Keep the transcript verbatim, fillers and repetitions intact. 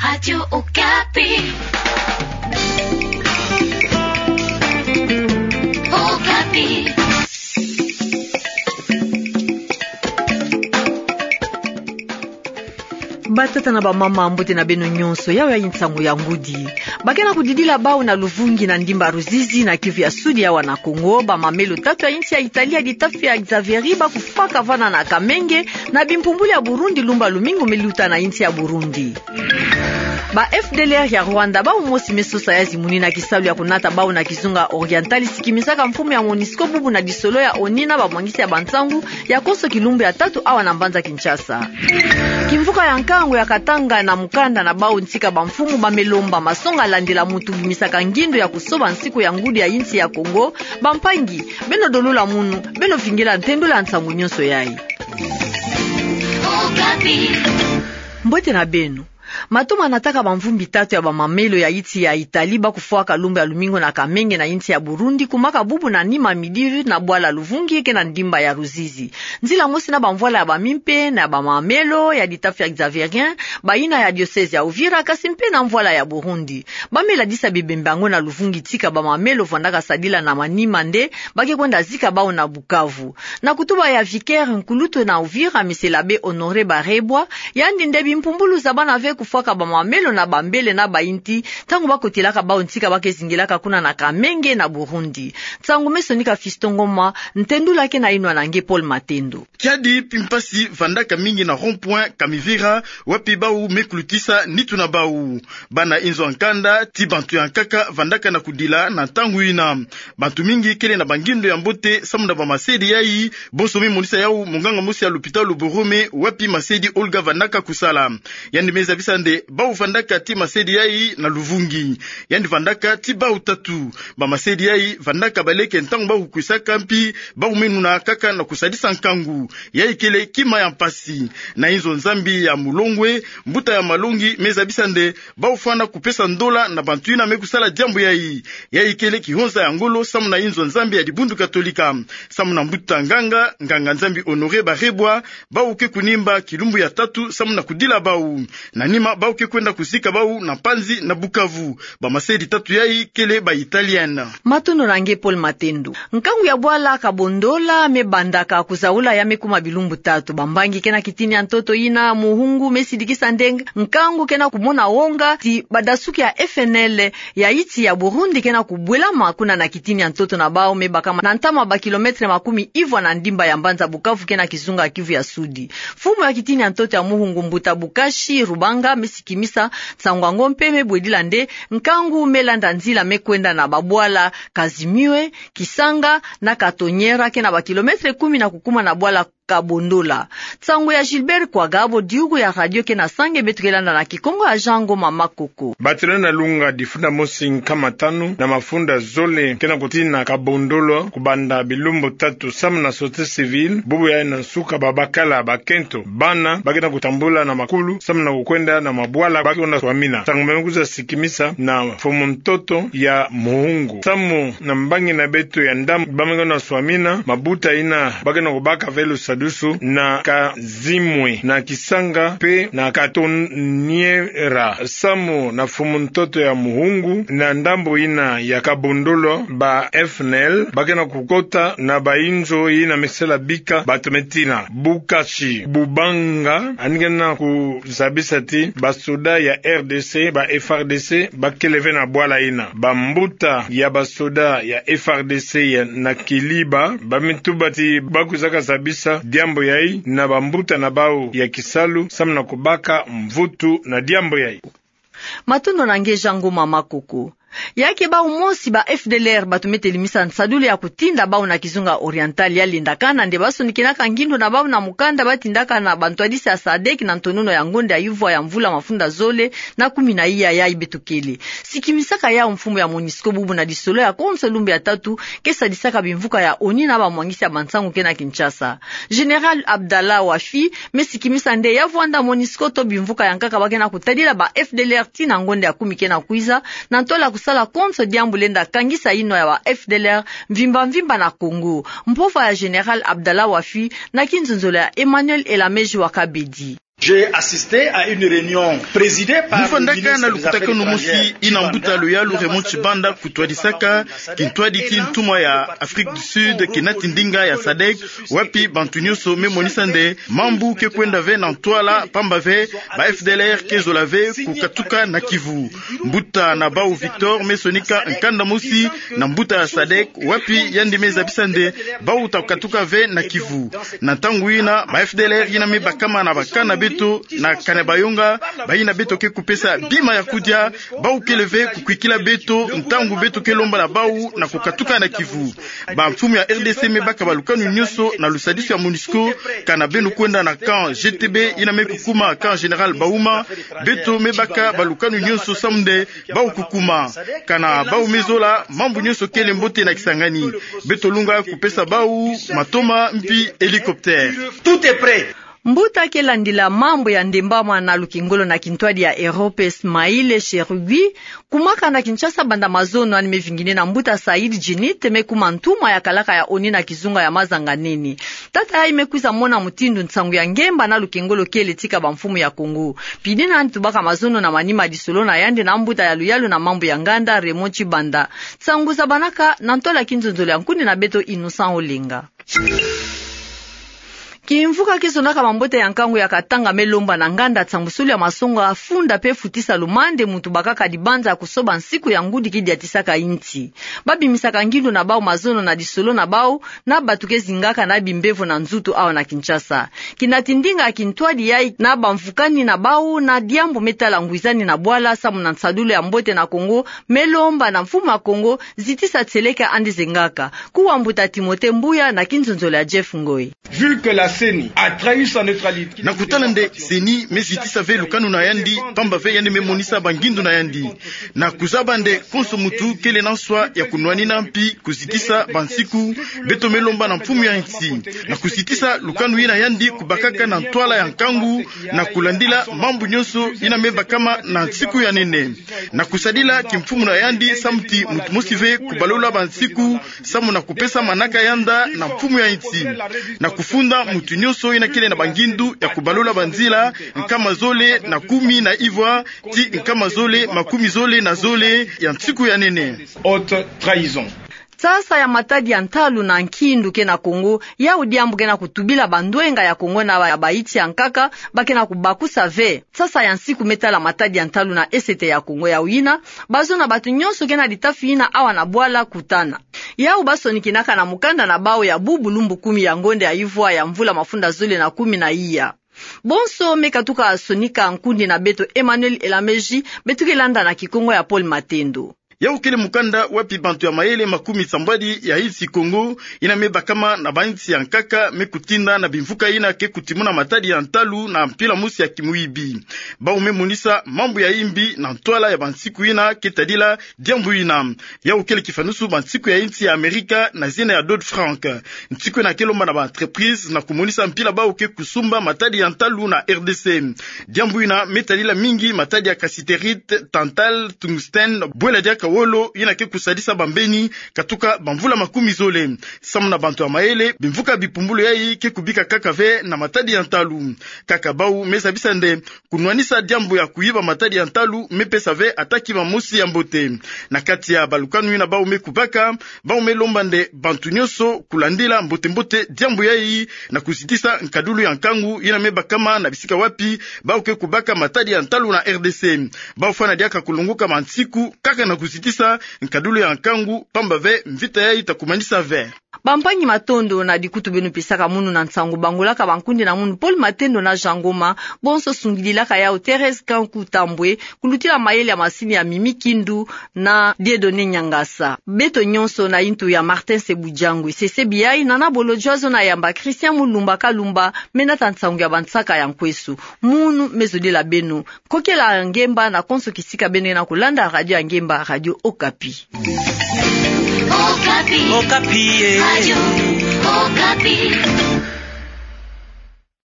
Radio Okapi. Okapi. Batata na bamama, mbote na beno nyonso. Yayi nsangu ya ngudi. Ba ke na kudidila bau na luvungi na ndimba Ruzizi na Kivu ya Sudi, awa na Kongo, bamamelo tatu ya insi ya Italie ya ditafe ya Xavieri ba kufwaka vana na Kamenge, na bimpumbulu ya Burundi lumbu ya lumingu me luta na insi ya Burundi. Ba F D L R ya Rwanda, bau mosi me sosa ya zimuni na kisalu ya kunata bau na kizunga Oriental, sikimisaka mfumu ya MONUSCO bubu na lisolo ya ONU na bamwangisi ya bansangu ya konso kilumbu ya tatu awa na mbanza Kinshasa. Kimvuka ya nkangu ya Katanga na mukanda na bau ntika bamfumu ba me lomba masonga landila mutu bimisaka ngindo ya kusoba nsiku ya ngudi ya insi ya Kongo. Bampangi, beno dolula munu, beno vingila ntendula nsangu nyonso yayi. Mbote na beno. Mato ma nataka bamvumbi tatu ya bamamelo ya insi ya Italie ba kufwaka lumbu ya lumingu na Kamenge na insi ya Burundi, kumaka bubu na nima midi na bwala Luvungi ke na ndimba ya Ruzizi. Nzila mosi na bamvwala ya bamimpe na ya bamamelo ya ditafe ya Xavierien, bayina ya diocèse ya Uvira, kasi mpe na mvwala ya Burundi. Ba me ladisa bibembe yango na Luvungi tika bamamelo vwandaka sadila na manima nde ba ke kwenda zika bau na Bukavu. Na kutuba ya vicaire nkulutu na Uvira, Monsieur l'abbé Honoré Barebwa, yandi nde bimpumbulu za bana ve kufwaka bamamelo na bambele na bayinti, ntangu ba kotelaka bau ntika ba ke zingilaka kuna na Kamenge na Burundi. Nsangu me sonika Fiston Ngoma, ntendula ke na yinwa na nge Paul Matendo. Kiadi mpasi vandaka mingi na rond-point Kamivira, wapi bau me kulutisa nitu na bau. Bana inzo ya nkanda, ti bantu ya nkaka vandaka na kudila na ntangu yina. Bantu mingi kele na bangindo ya mbote samu na bamasedi yayi, bonso me monisa yau munganga mosi ya lopitalo Borome, wapi masedi Olga vandaka kusala. Yandi me zabisa nde bau vandaka ti masedi yayi na Luvungi. Yandi vandaka ti bau tatu. Bamasedi yayi vandaka baleke ntangu bau kwisaka, mpi bau me nuna kaka na kusadisa nkangu. Yayi kele kima ya mpasi. Na inzo Nzambi ya Mulongwe, mbuta ya Malongi me zabisa nde bau fwana kupesa ndola na bantu yina me kusala diambu yayi. Yayi kele kihonza ya ngolo samu na inzo Nzambi ya dibundu Katolika. Samu na mbuta nganga, nganga Nzambi Honoré Barebwa, bau ke kunimba kilumbu ya tatu samu na kudila bau. Na nima bau ke kwenda kuzika bau na mpanzi na Bukavu. Bamasedi tatu yayi kele ba Italienne. Matondo na nge Paul Matendo. Nkangu ya bwala Kabondola me bandaka kuzaula ya me kuma bilumbu tatu. Bambangi ke na kitini ya ntoto yina Muhungu me sidikisa nde nkangu ke na kumona wonga ti badasuki ya F N L ya insi ya Burundi ke na kubwelama kuna na kitini ya ntoto na bau me bakama na ntama ba kilomètre makumi ivwa na ndimba ya mbanza Bukavu ke na kizunga Kivu ya Sudi. Mfumu ya kitini ya ntoto ya Muhungu, mbuta Bukashi Rubanga, me sikimisa nsangu yango mpe me bwedila nde nkangu me landa nzila me kwenda na babwala Kazimiwe, Kisanga na Katonyera ke na ba kilomètre kumi na kukuma na bwala Kabondola. Nsangu ya Gilbert Kwagabo, diugu ya radio ke na Sange, beto ke landa na Kikongo ya Jean Ngoma Makoko. Bato na lunga difunda mosi nkama tanu na mafunda zole ke na kutina Kabondola kubanda bilumbu tatu samu na société civile, bubu yayi na nsuka babakala bakento bana ba ke na kutambula na makulu samu na kukwenda na mabwala ba ke na swamina. Nsangu me kwiza sikimisa na mfumu ntoto ya Muhungu. Samu na mbangi na beto ya ndambu ba me ke na swamina, mabuta yina ba ke na kubaka ve lusadusu na Kazimwe, na Kisanga mpe na Katonyera. Samu na mfumu ntoto ya Muhungu, na ndambu yina ya Kabondola, ba F N L ba ke na kukota na bainzo yina me sala bika bato me tina. Bukashi Bubanga yandi ke na kuzabisa ti basoda ya R D C, ba F R D C, ba kele ve na bwala yina. Bambuta ya basoda ya F R D C ya na Kiliba ba me tuba ti ba kwizaka zabisa diambu yayi na bambuta na bau ya kisalu samu na kubaka mvutu na diambu yayi. Matondo na nge Jean Ngoma Makoko. Ya ke bau mosi ba F D L R bato me telimisa nsadulu ya kutinda bau na kizunga Oriental, ya lendakana nde ba sonikinaka ngindo na bau na mukanda ba tindaka na bantwadisi ya sadec na ntonono ya ngonda ya ivwa ya mvula mafunda zole na kumi na iya yayi beto kele. Sikimisaka yau mfumu ya MONUSCO bubu na lisolo ya konso lumbu ya tatu ke sadisaka bimvuka ya ONU na bamwangisi ya bansangu ke na Kinshasa. Général Abdallah Wafi me sikimisa nde ya vwanda MONUSCO to bimvuka ya nkaka ba ke na kutadila ba F D L R tii na ngonda ya kumi ke na kwiza, na ntola kusala konso diambu lenda kangisa yinwa ya ba F D L R mvimba mvimba na Congo. Mpova ya Général Abdallah Wafi na kinzonzolo ya Emmanuel Elameji wa Kabedi. J'ai assisté à une réunion présidée par le ministre des Affaires étrangères, Tchibanda. Mfandaka na lukutakanu mosi ina mbuta ya luyalu Raymond Tchibanda kutwadisaka kintwadi ti ntumwa ya Afrique du Sud, kinati ndinga ya sadec, wapi bantu nyonso me monisa nde mambu ke kwenda ve na ntwala, pamba ve ba F D L R ke zola ve kukatuka na kivu. Mbuta na bau Victor me sonika nkanda mosi na mbuta ya sadec, wapi yandi me zabisa nde bau ta katuka ve na kivu. Na ntangu ina, ba F D L R ina me bakama na ba camp na beto na Kanyabayonga, bayina beto ke kupesa bima ya kudia, bau kele ve kukwikila beto ntangu beto ke lomba na bau na kukatuka na kivu. Bamfumu ya R D C me baka balukanu nyonso na lusadisu ya MONUSCO, kana beno kwenda na camp G T B ina me kukuma camp Général Bauma, beto me baka balukanu nyonso samu nde bau kukuma. Kana bau me zola, mambu nyonso kele mbote na Kisangani. Beto lunga kupesa bau matoma mpi hélicoptère. Tout est prêt. Mbuta ke landila mambu ya ndembama na lukengolo na kintwadi ya Europe, Smail Cherugui, kumaka na Kinshasa banda mazono yandi me vingine na mbuta Saïd Djinnit, me kuma ntumwa ya kalaka ya ONU na kizunga ya mazanga nene. Tata yayi me kwiza mona mutindu nsangu ya ngemba na lukengolo kele tika bamfumu ya Kongo. Pidina yandi tubaka mazono na manima ya disolo na yandi na mbuta ya luyalu na mambu ya nganda, Raymond Tchibanda. Nsangu zabanaka na ntwala ya kinzonzolo ya nkundi na beto, Innocent Olenga. Kimvuka ke sonaka mambote ya nkangu ya Katanga me lomba na nganda nsambusulu ya masonga funda mpe futisa lumande muntu bakaka dibanza ya kusoba nsiku ya ngudi ke diatisaka insi. Ba bimisaka ngindu na bau mazono na disolo na bau na batu ke zingaka na bimbevo na nzutu awa na Kinshasa. Kinati ndinga ya kintwadi yayi na bamvukani na bau na diambu me tala ngwizani na bwala samu na nsadulu ya mbote na Kongo me lomba na mfumu ya Kongo zitisa tieleka andi zengaka. Kuwa mbuta Timothée Mbuya na kinzonzolo ya Jeff Ngoy. Vu que la C E N I a trahi sa neutralité. Na kutala nde C E N I me zitisa ve lukanu na yandi, pamba ve yandi me monisa bangindu na yandi. Na kuzaba nde konso muntu kele na nswa ya kunwanina mpi kuzitisa bansiku beto me lomba na mfumu ya insi. Na kuzitisa lukanu yina yandi kubakaka na ntwala ya nkangu, na kulandila mambu nyonso yina me bakama na nsiku ya nene. Na kusadila kimfumu na yandi samu ti muntu mosi ve kubalula bansiku, samu na kupesa manaka yanda na mfumu ya insi. Na kufunda muntu nyonso yina kele na bangindu ya kubalula banzila, nkama zole na kumi na ivwa ti nkama zole makumi zole na zole ya nsiku ya nene. Haute trahison. Nsasa ya matadi ya ntalu na nkindu ke na Kongo, yau diambu ke na kutubila bandwenga ya Kongo na ya bayinsi ya nkaka, ba ke na kubakusa ve. Nsasa ya nsiku me tala matadi ya ntalu na esete ya Kongo yau yina, bazo na batu nyonso ke na ditafi yina awa na bwala kutana. Yau ba sonikinaka na mukanda na bau ya bubu lumbu kumi ya ngonde ya ivwa ya mvula mafunda zole na kumi na iya. Bonso me katuka sonika nkundi na beto Emmanuel Elameji, beto ke landa na Kikongo ya Paul Matendo. Yau kele mukanda wapi bantu ya mayele makumi sambwadi ya insi Kongo, yina me bakama na bayinsi ya nkaka, me kutinda na bimvuka yina ke kutimuna matadi ya ntalu na mpila mosi ya kimuyibi. Bau me monisa mambu ya imbi na ntwala ya bansiku yina ke tadila diambu yina. Yau kele kifanusu bansiku ya insi ya Amerika na zina ya Dodd-Frank. Nsiku yina ke lomba na ba entreprise na kumonisa mpila bau ke kusumba matadi ya ntalu na R D C. Diambu yina me tadila mingi matadi ya cassiterite, tantale, tungstène, bwela diaka wolo, yina ke kusadisa bambeni katuka bamvula makumi zole. Samu na bantu ya mayele, bimvuka bipumbulu yayi ke kubika kaka ve na matadi ya ntalu. Kaka bau me zabisa nde kunwanisa diambu ya kuyiba matadi ya ntalu me pesa ve ata kima mosi ya mbote. Na kati ya balukanu yina bau me kubaka, bau me lomba nde bantu nyonso kulandila mbote-mbote diambu yayi na kuzitisa nkadulu ya nkangu yina me bakama na bisika wapi bau ke kubaka matadi ya ntalu na R D C. Bau fwana diaka kulongoka bansiku kaka na kuzitisa nkadulu ya nkangu, pamba ve mvita yayi ta kumanisa ve. Bampangi, matondo na dikutu beno pesaka munu na nsangu bangolaka bankundi na munu Paul Matendo na Jean Ngoma, bonso sungidilaka yau Thérèse Kanku Tambwe, kulutila mayele ya masini ya Mimi Kindu na Dieudonné Niangasa. Beto nyonso na yintu ya Martin Sebujangwe, Sese Biayi, Nana Bolodjwa zo na yamba Christian Mulumba Kalumba, me nata nsangu ya bansaka ya nkwesu. Munu me zodila beno. Kokela ngemba na konso kisika beno ke na kulanda radio ya ngemba, Radio Okapi. Okapi. Okapi, eh. Radio Okapi.